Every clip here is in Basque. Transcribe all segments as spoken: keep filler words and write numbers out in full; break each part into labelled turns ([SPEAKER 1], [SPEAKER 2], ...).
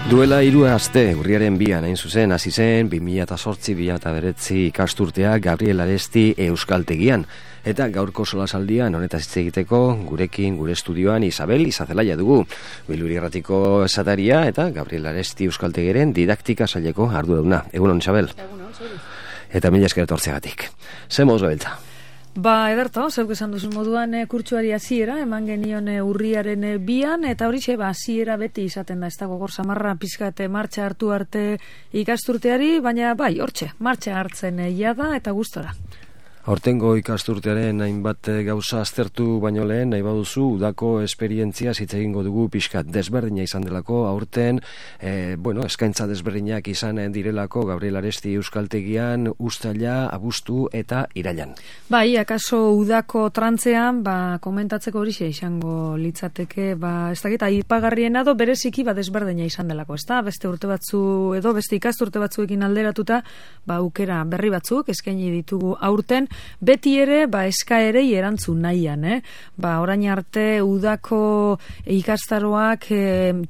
[SPEAKER 1] Duela hiru aste, urriaren bian, hain zuzen, hasi zen, bi mila zortzi bi mila bederatzi ikasturtea Gabriel Aresti Euskaltegian. Eta gaurko solasaldian honetaz hitz egiteko gurekin, gure estudioan Isabel Izazelaia dugu. Biluri Irratiko esataria eta Gabriel Aresti Euskaltegiren didaktika saileko arduraduna. Egunon, Isabel.
[SPEAKER 2] Egunon, zuri.
[SPEAKER 1] Eta mila esker etortzeagatik. Ze moz gabiltza?
[SPEAKER 2] Ba, ederto, zeuk esan duzun moduan e, kurtsuari hasiera eman genion e, urriaren e, bian, eta horixe, ba, hasiera beti izaten da, ez dago gor samarra pizkate martxa hartu arte ikasturteari, baina bai, hortxe, martxa hartzen e, jada eta gustora.
[SPEAKER 1] Hortengo ikasturtearen hainbat gauza aztertu baino lehen, nahi baduzu, udako esperientzia hitz egingo dugu pixkat desberdina izan delako, aurten, e, bueno, eskaintza desberdinak izan direlako Gabriel Aresti Euskaltegian, uztaila, abuztu eta irailan.
[SPEAKER 2] Bai, akaso udako trantzean, ba, komentatzeko horixe izango litzateke, ba, ez dakit, aipagarriena do bereziki ba desberdina izan delako, ez da? Beste urte batzu, edo beste ikasturte batzuekin alderatuta, ba, aukera berri batzuk eskaini ditugu aurten, beti ere, ba, eskaerei erantzun nahian, eh? Ba, orain arte udako ikastaroak e,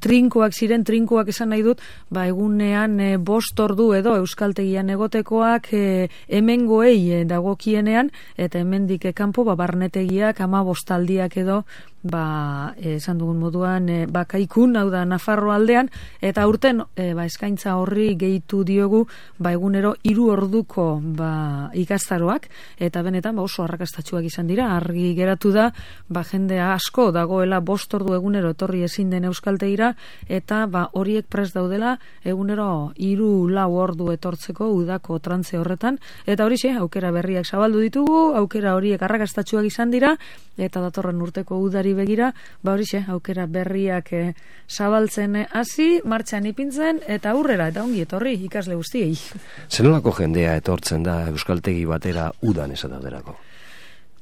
[SPEAKER 2] trinkoak ziren, trinkoak esan nahi dut, ba, egunean e, bost ordu edo Euskaltegian egotekoak e, hemengoei e, dagokienean, eta hemendik kanpo ba, barnetegiak ama bostaldiak edo, ba, esan dugun moduan, e, bakaikun, hau da, Nafarro aldean, eta urten, e, ba, eskaintza horri gehitu diogu, ba, egunero hiru orduko, ba, ikastaroak, eta benetan, ba, oso arrakastatsuak izan dira, argi geratu da, ba, jendea asko dagoela bost ordu egunero etorri ezin den Euskaltegira, eta, ba, horiek prest daudela, egunero hiru lau ordu etortzeko udako trantze horretan, eta horixe, aukera berriak zabaldu ditugu, aukera horiek arrakastatsuak izan dira, eta datorren urteko udari begira, ba horixe, aukera berriak e, zabaltzen hasi, martxan ipintzen, eta aurrera, eta ongi etorri ikasle guztiei.
[SPEAKER 1] Zenolako jendea etortzen da Euskaltegi batera udan esatauderako?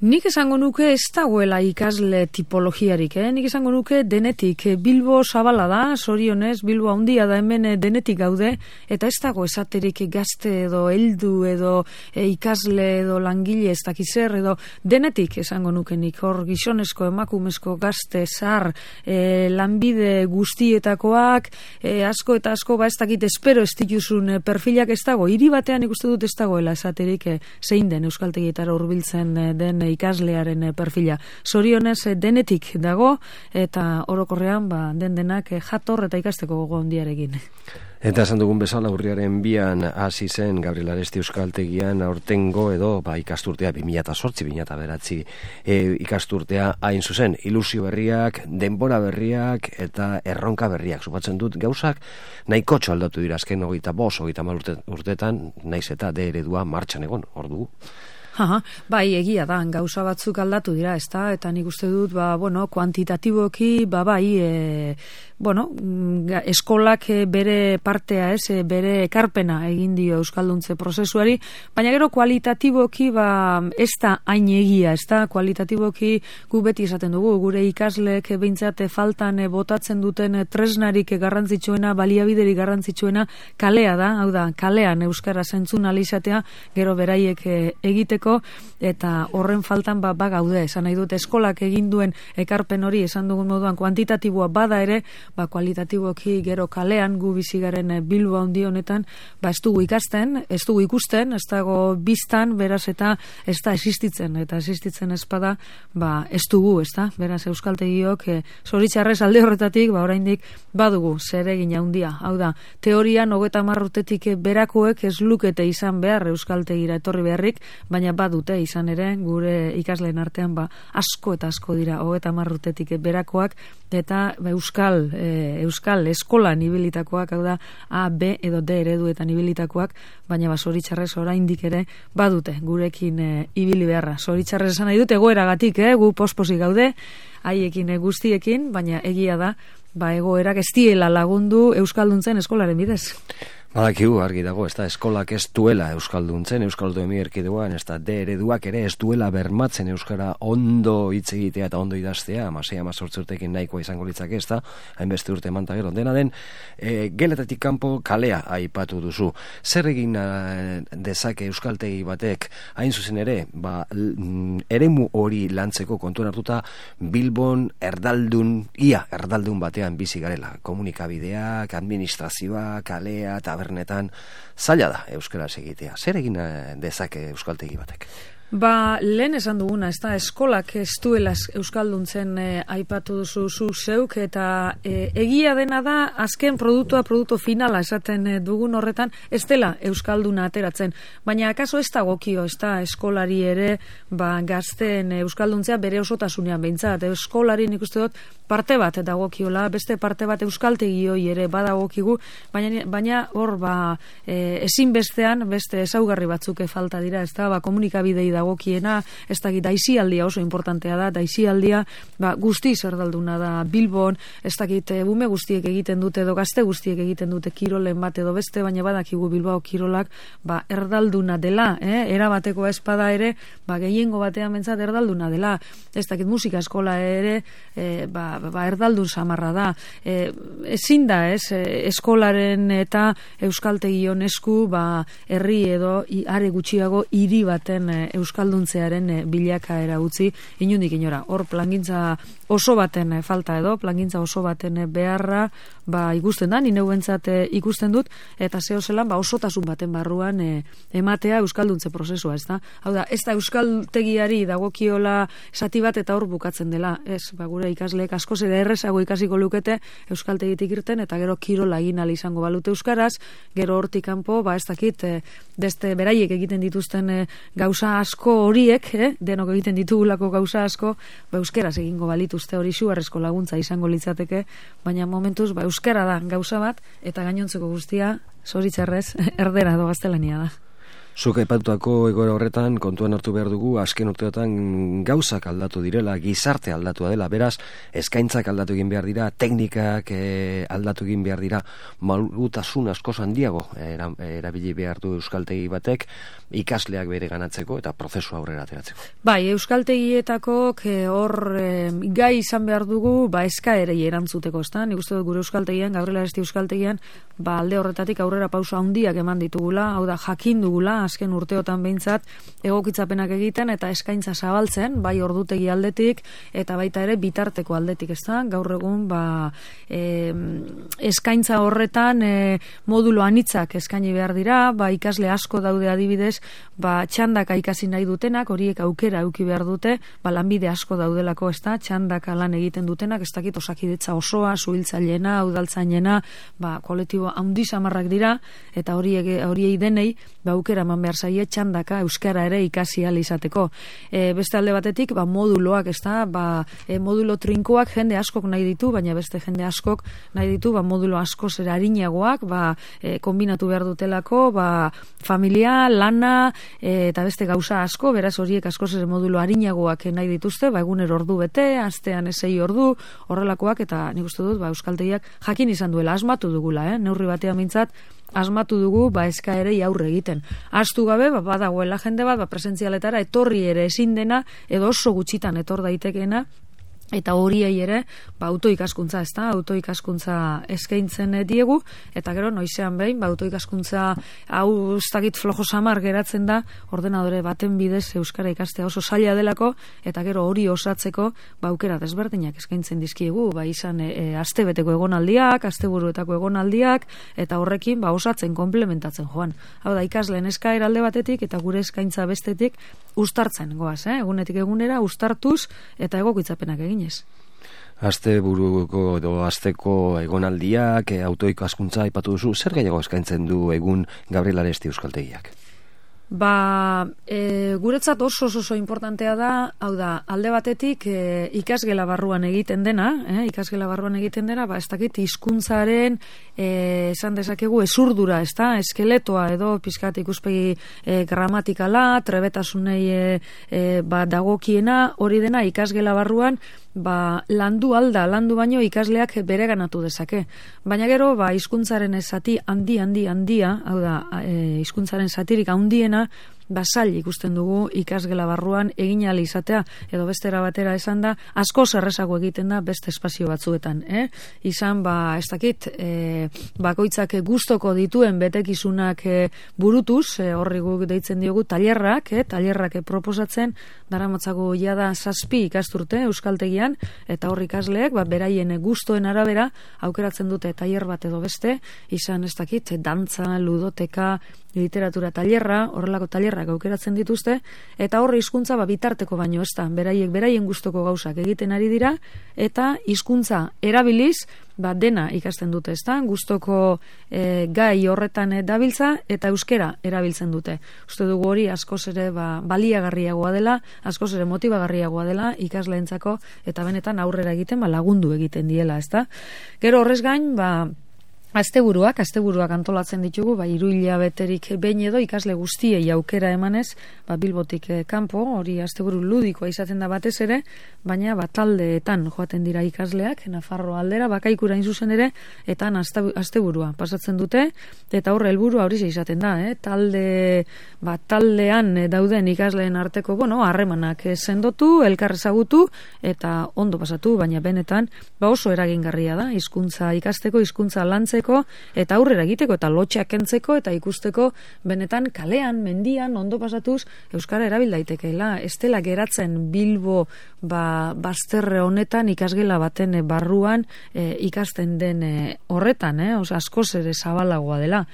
[SPEAKER 2] Nik esango nuke ez dagoela ikasle tipologiarik, eh? Nik esango nuke denetik. Bilbo zabala da, zorionez, Bilbo handia da hemen denetik gaude, eta ez dago esaterik gazte edo heldu edo e, ikasle edo langile ez dakizer edo denetik esango nuke nik hor gizonezko, emakumezko, gazte, zar, e, lanbide guztietakoak, e, asko eta asko ba ez dakit espero ez dituzun perfilak ez dago, hiri batean ikuste dut ez dagoela esaterik e, zein den Euskaltegietara hurbiltzen e, den ikaslearen perfila. Zorionez denetik dago eta orokorrean ba, den denak jator eta ikasteko gogo handiarekin.
[SPEAKER 1] Eta esan dugun bezala urriaren bian hasi zen Gabriel Aresti Euskaltegian aurtengo edo ba, ikasturtea bi mila zortzi bi mila bederatzi e, ikasturtea hain zuzen, ilusio berriak, denbora berriak eta erronka berriak. Supatzen dut gauzak nahiko aldatu dira azken hogeita bost, hogeita hamar urte, urtetan, naiz eta de eredua martxan egon, hor dugu.
[SPEAKER 2] Aha, bai, egia da, gauza batzuk aldatu dira, ez da, eta nik uste dut, ba, bueno, kuantitatiboki, ba, bai, e, bueno, eskolak bere partea, ez, bere ekarpena egin dio euskalduntze prozesuari, baina gero kualitatiboki, ba, ez da hain egia, ez da, kualitatiboki gu beti esaten dugu, gure ikasleek behintzate faltan botatzen duten tresnarik garrantzitsuena, baliabiderik garrantzitsuena, kalea da, hau da, kalean euskara zentzun alizatea, gero beraiek egiteko, eta horren faltan ba, ba gaude, esan nahi dut eskolak egin duen ekarpen hori esan dugun moduan kuantitatiboa bada ere, ba kualitatiboki gero kalean gu bizigaren Bilbo handi honetan, ba ez dugu ikasten, ez dugu ikusten, ez dago biztan, beraz eta ez da existitzen, eta existitzen espada, ba ez dugu, ez da, beraz Euskaltegiok e, zoritxarrez alde horretatik, ba oraindik badugu zeregin handia, hau da, teorian hogeita hamar urtetik berakoek ez lukete izan behar Euskaltegira etorri beharrik, baina badute izan ere gure ikasleen artean ba asko eta asko dira hogeita hamar urtetik berakoak eta ba, euskal e, euskal eskolan ibilitakoak, hau da A, B edo D ereduetan ibilitakoak, baina ba zoritxarrez oraindik ere badute gurekin e, ibili beharra. Zoritxarrez esan nahi dut egoeragatik, eh, gu posposi gaude haiekin e, guztiekin, baina egia da ba egoerak ez diela lagundu euskalduntzen eskolaren bidez.
[SPEAKER 1] Badakigu argi dago, ez da, eskolak ez duela euskalduntzen, euskaldu erkidegoan, ez da, de ereduak ere ez duela bermatzen euskara ondo hitz egitea eta ondo idaztea, amasei amazortzi urtekin nahikoa izango litzake, ez da, hainbeste urte emanta gero, dena den, e, geletatik kanpo kalea aipatu duzu. Zer egin dezake euskaltegi batek, hain zuzen ere, ba, eremu hori lantzeko kontuan hartuta, Bilbon erdaldun, ia erdaldun batean bizi garela, komunikabideak, administrazioa, kalea, tabernetan, zaila da euskaraz egitea. Zer egin dezake euskaltegi batek?
[SPEAKER 2] Ba, lehen esan duguna, ez da, eskolak ez duela euskalduntzen e, aipatu duzu zu zeuk, eta e, egia dena da, azken produktua, produktu finala esaten e, dugun horretan, ez dela euskalduna ateratzen. Baina, akaso ez da gokio, ez da, eskolari ere, ba, gazten euskalduntzea bere osotasunean behintzat. Eskolari nik uste dut, parte bat dagokiola, beste parte bat euskaltegi hoi ere badagokigu, baina, baina hor, ba, e, ezinbestean, beste ezaugarri batzuk falta dira, ez da, ba, komunikabidei dagokiena, ez da, daisialdia oso importantea da, daisialdia, ba, guztiz erdalduna da Bilbon, ez dakit, bume guztiek egiten dute, edo gazte guztiek egiten dute kirolen bat edo beste, baina badakigu Bilbao kirolak, ba, erdalduna dela, eh? Erabateko espada ere, ba, gehiengo batean bentsat erdalduna dela, ez dakit, musika eskola ere, e, ba, ba, erdaldun samarra da. E, ezin da, ez, eskolaren eta euskaltegion esku, ba, herri edo are gutxiago hiri baten euskalduntzearen bilakaera utzi, inundik inora. Hor plangintza oso baten falta edo, plangintza oso baten beharra, ba, ikusten da, nire bentsat ikusten dut, eta zeo zelan, ba, osotasun baten barruan e, ematea euskalduntze prozesua, ez da? Hau da, ez da euskaltegiari dagokiola esati bat eta hor bukatzen dela, ez, ba, gure ikasleek askoz ere errezago ikasiko lukete euskaltegitik irten, eta gero kirola egin ahal izango balute euskaraz, gero hortik kanpo, ba, ez dakit, e, deste beraiek egiten dituzten e, gauza asko horiek, eh, denok egiten ditugulako gauza asko, ba, euskeraz egingo balituzte hori xuarrezko laguntza izango litzateke, baina momentuz, ba, euskara da gauza bat, eta gainontzeko guztia, zoritzarrez, erdera edo gaztelania da.
[SPEAKER 1] Zuk aipatutako egoera horretan kontuan hartu behar dugu azken urteotan gauzak aldatu direla, gizarte aldatua dela, beraz, eskaintzak aldatu egin behar dira, teknikak e, aldatu egin behar dira, malgutasun askoz handiago era, erabili behar du euskaltegi batek, ikasleak bere ganatzeko eta prozesu aurrera ateratzeko.
[SPEAKER 2] Bai, euskaltegietako hor e, gai izan behar dugu, ba, eskaerei erantzuteko, ezta? Nik uste dut gure euskaltegian, Gabriel Aresti euskaltegian, ba, alde horretatik aurrera pausa handiak eman ditugula, hau da, jakin dugula, azken urteotan behintzat egokitzapenak egiten eta eskaintza zabaltzen, bai ordutegi aldetik eta baita ere bitarteko aldetik, ez da? Gaur egun, ba, e, eskaintza horretan e, modulo anitzak eskaini behar dira, ba, ikasle asko daude adibidez, ba, txandaka ikasi nahi dutenak, horiek aukera eduki behar dute, ba, lanbide asko daudelako, ez da? Txandaka lan egiten dutenak, ez dakit osakidetza osoa, zuhiltzailena, udaltzainena, ba, kolektibo handi samarrak dira, eta horiek horiei denei, ba, aukera eman behar zaie txandaka euskara ere ikasi ahal izateko. E, beste alde batetik, ba, moduloak, ez da, ba, e, modulo trinkoak jende askok nahi ditu, baina beste jende askok nahi ditu, ba, modulo asko zera harinagoak, ba, e, kombinatu behar dutelako, ba, familia, lana, e, eta beste gauza asko, beraz horiek asko zera modulo harinagoak nahi dituzte, ba, egunero ordu bete, astean esei ordu, horrelakoak, eta nik uste dut, ba, euskaltegiak jakin izan duela, asmatu dugula, eh? Neurri batean mintzat, asmatu dugu, ba, eskaerei aurre egiten. Astu gabe, ba, badagoela jende bat, ba, presentzialetara etorri ere ezin dena, edo oso gutxitan etor daitekeena, eta horiei ere, ba, autoikaskuntza, ez da, autoikaskuntza eskaintzen diegu, eta gero noizean behin, ba, autoikaskuntza hau ustakit flojo samar geratzen da, ordenadore baten bidez euskara ikastea oso zaila delako, eta gero hori osatzeko, ba, aukera desberdinak eskaintzen dizkiegu, ba, izan e, e, astebeteko egonaldiak, asteburuetako egonaldiak, eta horrekin, ba, osatzen, komplementatzen joan. Hau da, ikasleen eskaera alde batetik, eta gure eskaintza bestetik, ustartzen goaz, eh? Egunetik egunera, ustartuz, eta egokitzapenak egin.
[SPEAKER 1] Aste buruko edo asteko egonaldiak, e, autoikaskuntza aipatu duzu, zer gehiago eskaintzen du egun Gabriel Aresti euskaltegiak?
[SPEAKER 2] Ba, e, guretzat oso oso importantea da, hau da, alde batetik e, ikasgela barruan egiten dena, eh, ikasgela barruan egiten dena, ba, ez dakit hizkuntzaren e, esan dezakegu ezurdura, ez da, eskeletoa edo pizkat ikuspegi e, gramatikala, trebetasunei e, e, ba, dagokiena, hori dena ikasgela barruan ba, landu alda, landu baino ikasleak bereganatu dezake. Baina gero, ba, hizkuntzaren zati handi, handi, handia, hau da, e, hizkuntzaren zatirik handiena, basail ikusten dugu ikasgela barruan egin ahal izatea, edo bestera batera esan da, asko zerrezago egiten da beste espazio batzuetan. Eh? Izan, ba, ez dakit, e, bakoitzak gustoko dituen betekizunak e, burutuz, e, horri guk deitzen diogu tailerrak, e, tailerrak proposatzen, daramotzago jada zazpi ikasturte euskaltegian, eta hor ikasleek, ba, beraien gustoen arabera, aukeratzen dute tailer bat edo beste, izan ez dakit, dantza, ludoteka, literatura tailerra, horrelako tailerrak aukeratzen dituzte, eta horre hizkuntza ba, bitarteko baino ez da, beraiek beraien gustoko gauzak egiten ari dira, eta hizkuntza erabiliz, ba, dena ikasten dute, ez da, gustoko e, gai horretan e, dabiltza, eta euskera erabiltzen dute. Uste dugu hori askoz ere ba, baliagarriagoa dela, askoz ere motibagarriagoa dela ikasleentzako, eta benetan aurrera egiten ba, lagundu egiten diela, ez da. Gero horrez gain, ba, Asteburuak, asteburuak antolatzen ditugu, ba, hiru hilabeterik behin edo ikasle guztiei aukera emanez, ba, Bilbotik eh, kanpo, hori asteburu ludikoa izaten da batez ere, baina ba, taldeetan joaten dira ikasleak, Nafarroa aldera, bakaikura zuzen ere, eta asteburua pasatzen dute, eta horre helburua hori izaten da, eh? talde, ba, taldean dauden ikasleen arteko, bueno, harremanak sendotu, elkar ezagutu, eta ondo pasatu, baina benetan, ba, oso eragingarria da, hizkuntza ikasteko, hizkuntza lantzeko, eta aurrera egiteko, eta lotxeak kentzeko, eta ikusteko benetan kalean, mendian, ondo pasatuz, euskara erabil daitekeela. Ez dela geratzen Bilbo ba, bazterre honetan ikasgela baten barruan e, ikasten den e, horretan, eh? Osa, askoz ere zabalagoa dela.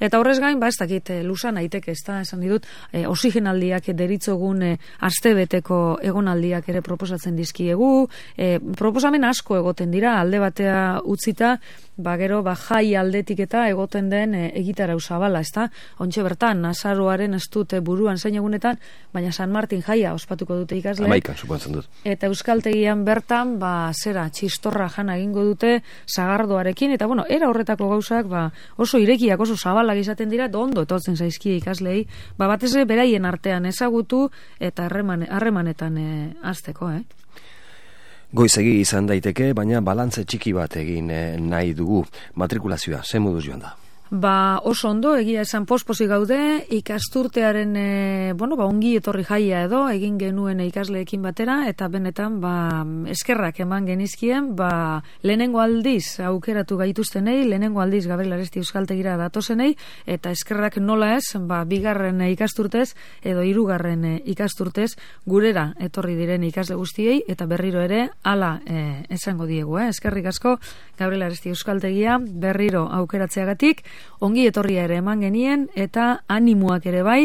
[SPEAKER 2] Eta horrez gain, ba, ez dakit, lusan aiteke, ez da, esan ditut, e, oxigenaldiak deritzogun e, astebeteko egonaldiak ere proposatzen dizkiegu, e, proposamen asko egoten dira, alde batea utzita, ba, gero, ba, jai aldetik eta egoten den e, egitarau zabala, ez da, ontxe bertan, azaroaren ez dut buruan zein egunetan, baina San Martin jaia ospatuko dute ikasle.
[SPEAKER 1] Amaikan, suposatzen dut.
[SPEAKER 2] Eta euskaltegian bertan, ba, zera, txistorra jana egingo dute, sagardoarekin, eta, bueno, era horretako gauzak, ba, oso irekiak, oso zabala izaten dira, ondo etortzen zaizkie ikaslei, ba, batez ere beraien artean ezagutu eta harreman, harremanetan e, azteko, eh?
[SPEAKER 1] Goizegi izan daiteke, baina balantze txiki bat egin e, nahi dugu. Matrikulazioa, ze moduz joan da?
[SPEAKER 2] Ba, oso ondo, egia esan posposi gaude, ikasturtearen, e, bueno, ba, ongi etorri jaia edo, egin genuen ikasleekin batera, eta benetan, ba, eskerrak eman genizkien, ba, lehenengo aldiz aukeratu gaituztenei, lehenengo aldiz Gabriel Aresti euskaltegira datozenei, eta eskerrak nola ez, ba, bigarren ikasturtez, edo hirugarren ikasturtez, gurera etorri diren ikasle guztiei, eta berriro ere, hala e, esango diegu, eh? Eskerrik asko, Gabriel Aresti euskaltegia, berriro aukeratzeagatik, ongi etorria ere eman genien, eta animoak ere bai,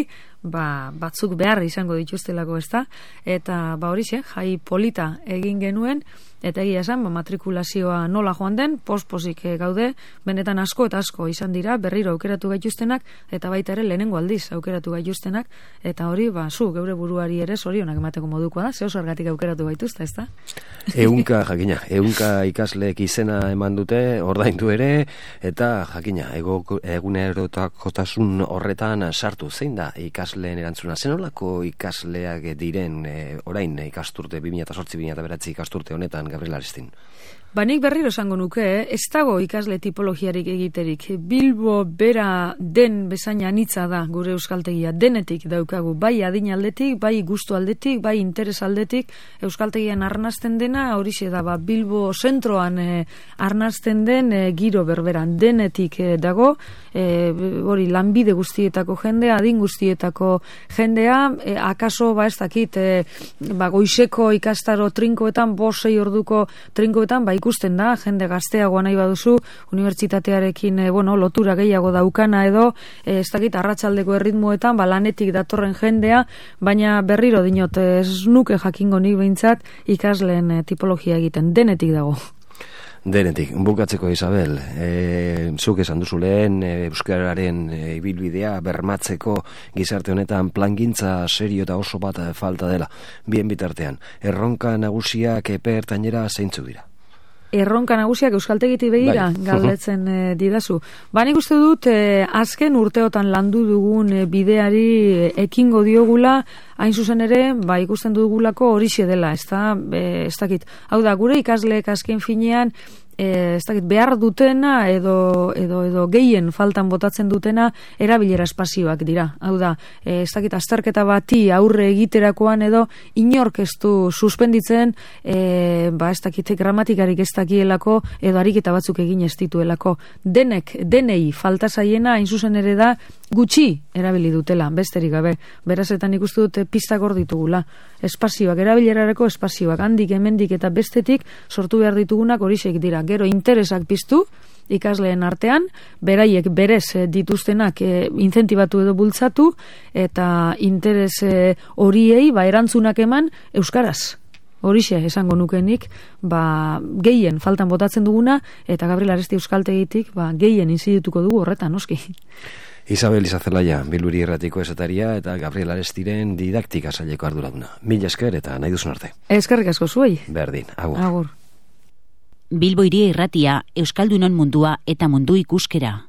[SPEAKER 2] ba, batzuk behar izango dituztelako, ez da, eta ba horixe, jai polita egin genuen, eta egia esan, ba, matrikulazioa nola joan den, posposik gaude, benetan asko eta asko izan dira, berriro aukeratu gaituztenak, eta baita ere lehenengo aldiz aukeratu gaituztenak, eta hori, ba, zu, geure buruari ere zorionak emateko modukoa da, ze oso argatik aukeratu gaituzte, ez da?
[SPEAKER 1] Eunka, jakina, eunka ikasleek izena eman dute, ordaindu ere, eta jakina, ego, egunerotakotasun horretan sartu, zein da ikasleen erantzuna, zenolako ikasleak diren e, orain ikasturte, bi mila zortzi bi mila bederatzi ikasturte honetan, Gabriel Arestin?
[SPEAKER 2] Ba, nik berriro esango nuke, eh? Ez dago ikasle tipologiarik egiterik. Bilbo bera den bezain anitza da gure euskaltegia, denetik daukagu, bai adin aldetik, bai gustu aldetik, bai interes aldetik, euskaltegian arnazten dena, horixe da, ba, Bilbo zentroan eh, arnazten den eh, giro berberan, denetik eh, dago, eh, hori lanbide guztietako jendea, adin guztietako jendea, eh, akaso, ba, ez dakit, eh, ba, goizeko ikastaro trinkoetan, bosei orduko trinkoetan, ba, ikusten da, jende gazteagoa nahi baduzu, unibertsitatearekin e, bueno, lotura gehiago daukana edo, e, ez dakit, arratsaldeko erritmoetan, ba, lanetik datorren jendea, baina berriro dinot, ez nuke jakingo nik behintzat ikasleen e, tipologia egiten, denetik dago.
[SPEAKER 1] Denetik, bukatzeko Isabel, e, zuk esan duzu lehen, e, euskararen ibilbidea bermatzeko gizarte honetan plangintza serio eta oso bat falta dela, bien bitartean, erronka nagusiak epe ertainera zeintzuk dira?
[SPEAKER 2] erronka nagusiak euskaltegitik begira
[SPEAKER 1] bai.
[SPEAKER 2] galdetzen e, didazu. Ba, nik uste dut e, azken urteotan landu dugun e, bideari e, ekingo diogula, hain zuzen ere, ba, ikusten dugulako horixe dela, ez da, e, ez dakit. Hau da, gure ikasleek azken finean, E, ez dakit, behar dutena edo, edo, edo gehien faltan botatzen dutena erabilera espazioak dira. Hau da, e, ez dakit, azterketa bati aurre egiterakoan edo inork ez du suspenditzen, e, ba, ez dakit, gramatikarik ez dakielako edo ariketa batzuk egin ez dituelako. Denek, denei falta zaiena, hain zuzen ere da, gutxi erabili dutela, besterik gabe. Beraz, eta nik uste dute pistak hor ditugula. Espazioak, erabilerareko espazioak, handik, hemendik eta bestetik sortu behar ditugunak horixek dira. Gero interesak piztu ikasleen artean, beraiek berez dituztenak e, inzentibatu edo bultzatu, eta interes e, horiei ba, erantzunak eman euskaraz. Horixe esango nukenik, ba, gehien faltan botatzen duguna, eta Gabriel Aresti euskaltegitik ba, gehien inzidituko dugu horretan, noski.
[SPEAKER 1] Isabel Izazelaia, Bilburi Irratiko esataria eta Gabriel Arestiren didaktika saileko arduraduna. Mila esker eta nahi duzun arte.
[SPEAKER 2] Eskerrik asko zuei.
[SPEAKER 1] Berdin, agur.
[SPEAKER 2] Agur.
[SPEAKER 3] Bilbo Hiria Irratia, Euskaldunon mundua eta mundu ikuskera.